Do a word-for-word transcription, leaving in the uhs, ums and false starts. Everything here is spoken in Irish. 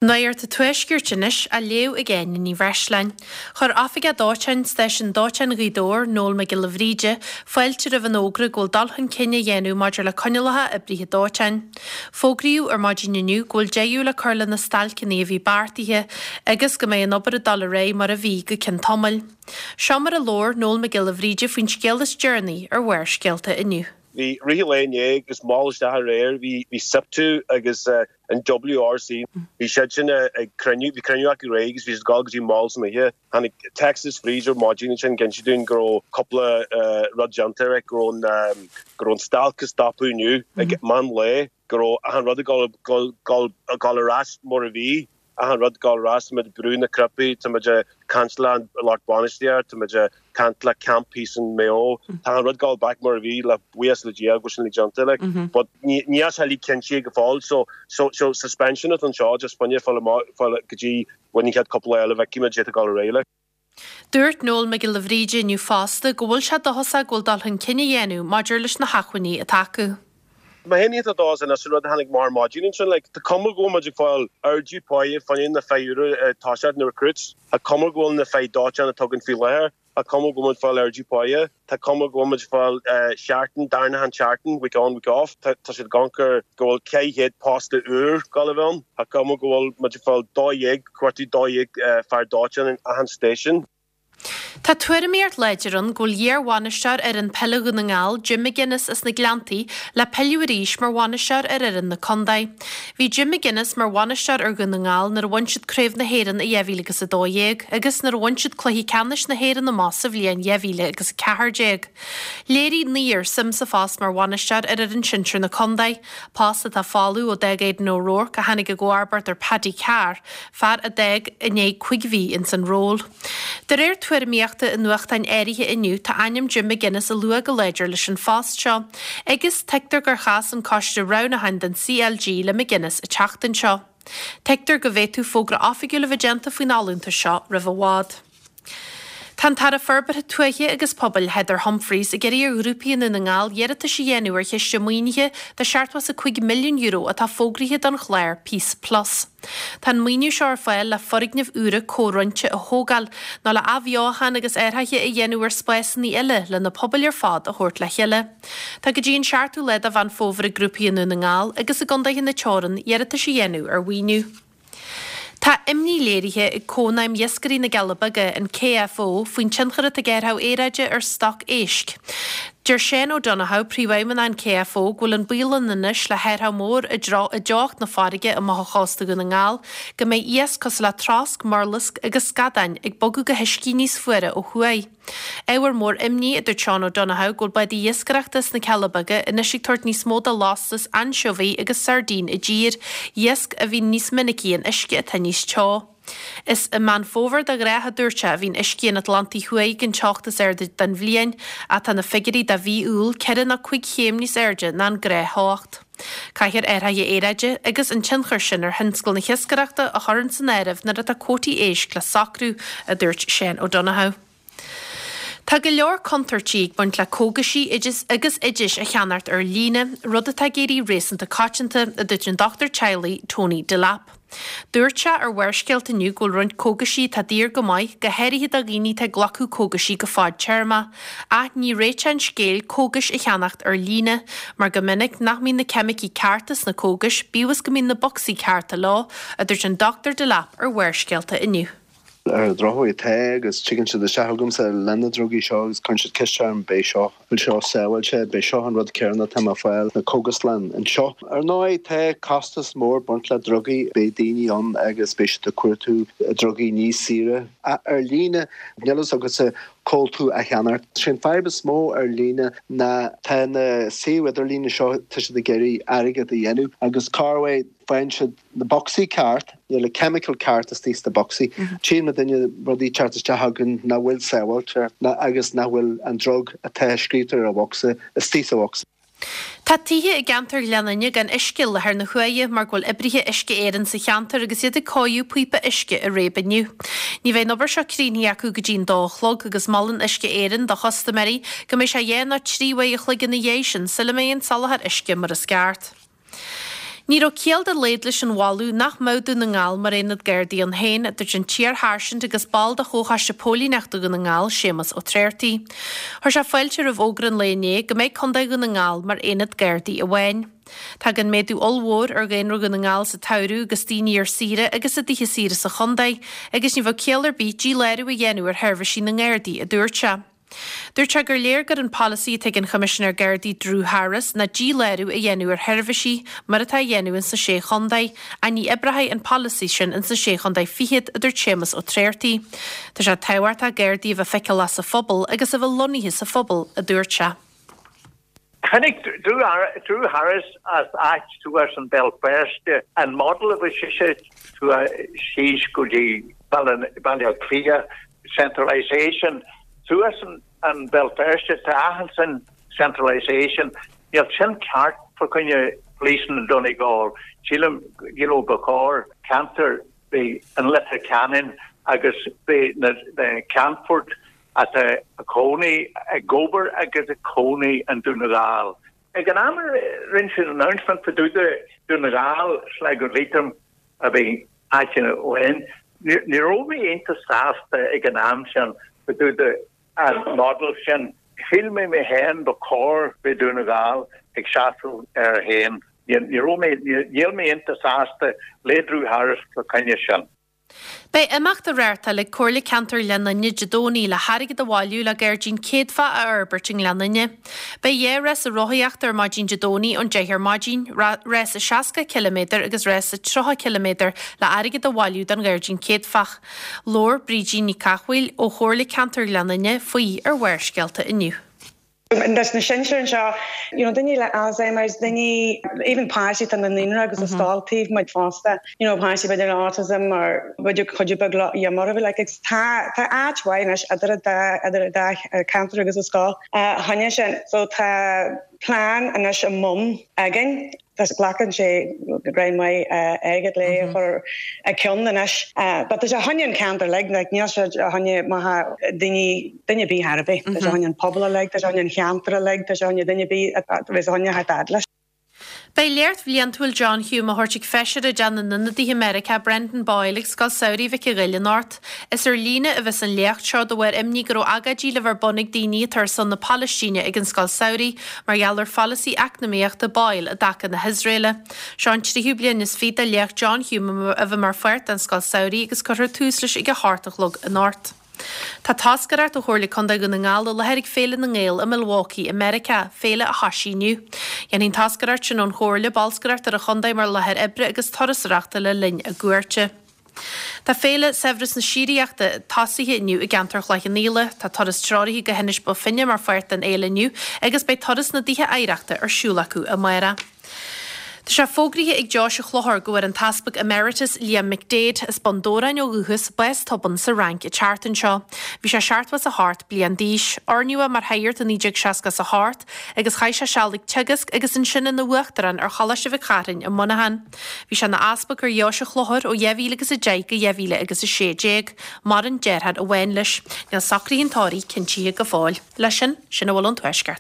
Nuacht an Tuaiscirt anois á léamh ag Áine Ní Bhreisleáin. Chuir Oifigeach Dóiteáin Stáisiún Dóiteáin Ghaoth Dobhair, Noel Mac Giolla Bhríde, fáilte roimh an fhógra go bhfuil dul chun cinn á dhéanamh maidir le coinníollacha oibrithe dóiteáin. Fógraíodh ar maidin inniu go bhfuil deireadh le cur le na stailceanna a bhí beartaithe agus go mbeidh an obair ag dul ar aghaidh mar a bhí go ceann tamaill. Seo mar a labhair Noel Mac Giolla Bhríde faoin scéal is deireanaí ar Bharrscéalta inniu. Bhí rith lae inné agus mall isteach aréir, bhí bhí SIPTU agus an WRC, bhí siad sin ag cruinniú, bhí cruinniú acu aréir agus bhí siad ag dul go dtí mall san oíche. Tháinig Texas Freezer maidin ansin ag inse dúinn go raibh cúpla rud déanta air, go raibh an go raibh an stailc ag stopadh inniu ag meán lae, go raibh achan rud ag dul dul ar ais mar a bhí. Achan rud ag dul ar ais, tá muid ag brú na cnaipí, tá muid ag caint le an lucht bainistíochta, tá muid ag caint le camp thíos in Maigh Eo, tá achan rud ag dul back mar a bhí le buíochas le Dia go bhfuil sin uilig déanta like. But ní níl sé uilig cinntithe go fóill so so so suspension atá anseo just fá choinne fáil amach fáil go dtí bhain an chéad cúpla lá eile bhfeicfidh muid cad é ag dul ar aghaidh like. Dúirt Noel Mac Giolla Bhríde inniu fosta go bhfuil sé dóchasach go bhfuil dul chun cinn á dhéanamh maidir leis na hacmhainní atá acu. Mé féin iontach dóchasach anois an rud a tháinig amach ar maidin ansin, like, tá cuma go bhfuil muid ag fáil ardú páighe fá choinne na fir úra ag toiseacht na recruits, tá cuma go bhfuil na fir dóiteáin atá againn faoi láthair, tá cuma go bhfuil muid ag fáil ardú páighe, tá cuma go bhfuil muid ag fáil seachtain, darnachan seachtain, week on, week off, tá tá siad ag amharc ar go bhfuil ceithre chéad post úr ag dul a bheith ann, tá cuma go bhfuil muid ag fáil dó dhéag, cuartú dó dhéag fear dóiteáin in achan station. Tá tuairimíocht láidir ann go bhfuil iar-bhainisteoir fhoireann peile Dhún na nGall, Jim McGuinness as na Gleanntaí, le pilleadh arís mar bhainisteoir ar fhoireann na contae. Bhí Jim McGuinness mar bhainisteoir ar Dhún na nGall nuair a bhain siad Craobh na hÉireann i dhá mhíle agus a dó dhéag agus nuair a bhain siad cluiche ceannais na hÉireann amach sa bhliain dhá mhíle agus a ceathair déag. Léirigh naothar suim sa phost mar bhainisteoir ar fhoireann sinsir na contae, post atá folamh ó d'fhág Aidan O'Rourke a tháinig i gcomharbacht ar Paddy Carr, fear a d'fhág i ndiaidh cúig mhí ins an ról. De réir tuairimíochta i nuachtáin áirithe inniu tá ainm Jim McGuinness á lua go láidir leis an phost seo, agus tuigtear gur chas an coiste roghnúcháin don CLG le McGuinness an tseachtain seo. Tuigtear go bhféadfadh fógra oifigiúil a bheith déanta faoin fholúntas seo roimh i bhfad. Tá an tAire Forbartha Tuaithe agus Pobail Heather Humphreys ag iarraidh ar ghrúpaí i nDún na nGall iarratais a dhéanamh ar chiste maoinithe de seachtó is a cúig milliún euro atá fógraithe don chlár Peace Plus. Tá an maoiniú seo ar fáil le foirgnimh úra comhroinnte a thógáil nó le athbheochan agus athruithe a dhéanamh ar spásanna eile le na pobail ar fad a thabhairt le chéile. Tá go dtí an seachtú lá de Mheán Fómhair ag grúpaí i nDún na nGall agus i gcontaetha na teorann iarratais a dhéanamh ar mhaoiniú. Tá imní léirithe ag Cónaidhm Iascairí na gCealla Beaga, an KFO, faoin tionchar atá ag athrú aeráide ar stoc éisc. Deir Shane O'Donoghue, príomhfheidhmeannach an KFO, go bhfuil an baol ann anois le hathrú mór i dteocht na farraige amach ó chósta Dhún na nGall go mbeidh iasc cosúil le trosc, murlasc agus scadáin ag bogadh go huiscí níos fuaire ó thuaidh. Ábhar mór imní, a dúirt Seán O'Donoghue, go bhfuil bádaí iascaireachta sna Cealla Beaga anois ag tabhairt níos mó de lastas ainseabhaigh agus sairdín i dtír, iasc a bhíonn níos minicí in uisce atá níos teo. Is i Meán Fómhair de ghnáth, a dúirt sé, a bhíonn uiscí an Atlantaigh Thuaidh ag an teocht is airde den bhliain, ach tá na figiúirí do mhí Iúil ceithre nó cúig chéim níos airde ná an gnáth-theocht. Caithfear athruithe aeráide agus an tionchar sin ar thionscal na hiascaireachta a chur san áireamh nuair atá cuótaí éisc le socrú, a dúirt Shane O'Donoghue. Tá go leor contúirtí ag baint le cógaisí agus oidis a cheannacht ar líne, rud atá ag éirí réasúnta coitianta, a dúirt an dochtúir teaghlaigh Tony Delap. Dúirt sé ar Bharrscéalta inniu go bhfuil roinnt cógaisí atá daor go maith, go háirithe do dhaoine atá ag glacadh cógaisí go fadtéarmach, ach ní réiteach an scéil cógais a cheannacht ar líne, mar go minic nach mbíonn na ceimicí cearta sna cógais, bíodh is go mbíonn na bocsaí cearta leo, a dúirt an Dochtúir Delap ar Bharrscéalta inniu. Ar an drochuair tá agus tigeann siad isteach chugamsa le na drugaí seo agus cuireann siad ceist orm beidh seo, bhfuil seo sábháilte, beidh seo an rud céanna atá mé ag fáil na cógaslann anseo. Ar ndóigh tá costas mór baint le drugaí, beidh daoine ann agus beidh siad ag cuartú drugaí níos saoire ach ar líne, níl fhios agatsa cá bhfuil tú a cheannacht. Sé an fadhb is mó ar líne ná tá na suímh idirlíne seo tá siad ag iarraidh airgead a dhéanamh agus corruair faigheann siad na bocsaí ceart, níl na chemical ceart istigh sna bocsaí. Tchíonn na daoine rudaí teacht isteach againn nach bhfuil sábháilte agus nach bhfuil an drug atá scríofa ar an bhocsa istigh sa bhocsa. Tá tithe i gceantar Ghleann Fhinne gan uisce i láthair na huaire mar go bhfuil oibrithe Uisce Éireann sa cheantar agus iad ag cóiriú píopa uisce i Réab inniu. Ní bheidh an obair seo críochnaithe acu go dtí an dó a chlog agus molann Uisce Éireann do chustaiméirí go mbeidh sé dhá nó trí uair a chloig ina dhiaidh sin sula mbeidh an soláthar uisce mar is ceart. Ní raibh ciall dá laghad leis an mholadh nach mbeadh Dún na nGall mar aonad Gardaí ann féin, a dúirt an t-iar-sháirsint agus ball de Chomhchoiste Póilíneachta Dhún na nGall, Séamus Ó Tréartaigh. Chuir sé fáilte roimh fhógra an lae inné go mbeidh Contae Dhún na nGall mar aonad Gardaí amháin. Tagann méadú ollmhór ar dhaonra Dhún na nGall sa tsamhradh agus daoine ar saoire agus i dtithe saoire sa chontae agus ní bheadh ciall ar bith dílárú a dhéanamh ar sheirbhísí na nGardaí, a dúirt sé. Dúirt sé gur léir gur an polasaí atá ag an Choimisinéir Gardaí Drew Harris ná dílárú a dhéanamh ar sheirbhísí mar atá á dhéanamh ins na Sé Chontae, ach ní oibreoidh an polasaí sin ins na Sé Chontae Fichead, a dúirt Séamus Ó Tréartaigh. Tá sé tábhachtach Gardaí a bheith feiceálach sa phobal agus a bheith lonnaithe sa phobal, a dúirt sé. Tháinig Drew Harris as áit thuas in Béal Feirste, an model a bhí sise síos go dtí Baile Átha Cliath, centralisation, thuas in Béal Feirste tá achan sin centralisation, níl sin ceart fá choinne policing in Donegal. Sílim you know ba chóir ceantar bhí an Leitir Ceanainn agus bhí na Ceannfort atá ag cónaí ag obair agus ag cónaí in Dún na nGall. Ag an am a rinne siad announcement fá dtaobh de Dún na nGall, Sligo Leitrim a bhí áit amháin, ní raibh mé iontach sásta ag an am sin fá dtaobh de an model sin. Shíl mé mé féin ba chóir bheith Dún na nGall ag seasamh ar a féin. Ní raibh mé, níl mé iontach sásta le Drew Harris fá choinne sin. Beidh imeacht á reáchtáil ag Comhairle Ceantair Ghleann Fhinne Dé Domhnaigh le hairgead a bhailiú le gairdín céadfach a fhorbairt i nGleann Fhinne. Beidh dhá rása rothaíochta ar maidin Dé Domhnaigh ón deich ar maidin, rása seasca ciliméadar agus rása tríocha ciliméadar le airgead a bhailiú don ghairdín céadfach. Labhair Brídín Ní Cathmhaoil ó Chomhairle Ceantair Ghleann Fhinne faoi ar Bharrscéalta inniu. Leis na sinsir anseo, you know, daoine le Alzheimer's, daoine, even páistí atá na naíonra agus sa scoil taobh muid fosta, you know, páistí b'fhéidir le autism or b'fhéidir cuid beag le iomarbhú, like, it's tá tá áit mhaith anois idir an dá idir an dá cheantar agus an scoil fá choinne sin. So tá plean anois i mbun againn. Tá glacann sé roinnt mhaith airgead le chur i gcionn anois. But tá sé fá choinne an ceantar uilig, like níl sé fá choinne maithe daoine duine ar bith ar bith. Tá sé fá choinne an pobal uilig, tá sé fá choinne an cheantar uilig, tá sé fá choinne duine ar bith a bheas fá choinne a theacht leis. Beidh léacht bhliantúil John Hume á thabhairt ag Feisire i dTeach na nIonadaithe Meiriceá Brendan Boyle ag Scoil Samhraidh Mhic an Ghoill anocht. Is ar líne a bheas an léacht seo de bharr imní go raibh agóidí le bheith ar bun ag daoine atá ar son na Palaistíne ag an Scoil Samhraidh mar gheall ar pholasaí eacnamaíochta Boyle i dtaca na hIosraeile. Seo an tríú bliain is fiche de léacht John Hume a bheith mar pháirt den Scoil Samhraidh agus cuirfear tús leis ag a hocht a chlog anocht. Tá toscaireacht ó Chomhairle Contae Dhún na nGall i láthair ag Féile na nGael i Milwaukee i Meiriceá, féile a thosaigh inniu. Dhéanfaidh an toscaireacht sin ón Chomhairle bolscaireacht ar an chontae mar láthair oibre agus turasóireachta le linn a gcuairte. Tá Féile Saibhreas na Síoraíochta tosaithe inniu i gceantar Chloich Cheann Fhaola. Tá turas treoraithe go hInis Bó Finne mar pháirt den fhéile inniu agus beidh turas na dtithe oidhreachta ar siúl acu amárach. Tá sé fógraithe ag Deoise Chlochair go bhfuair an tEaspag Emeritus Liam McDaid, as Bun Dobhráin ó dhúchas, bás tobann sa Fhrainc an tseachtain seo. Bhí sé seachtó is a hocht bliain d'aois. Oirníodh é mar shagart i naoi déag seasca is a hocht agus chaith sé seal ag teagasc agus ansin ina uachtarán ar Choláiste Mhic Charthain i Muineachán. Bhí sé ina easpag ar Dheoise Chlochair ó dhá mhíle agus a deich go dhá mhíle agus a sé déag. Maireann deartháir amháin leis. Níl socruithe an tórraimh cinntithe go fóill. Leis sin, sin a bhfuil ón Tuaisceart.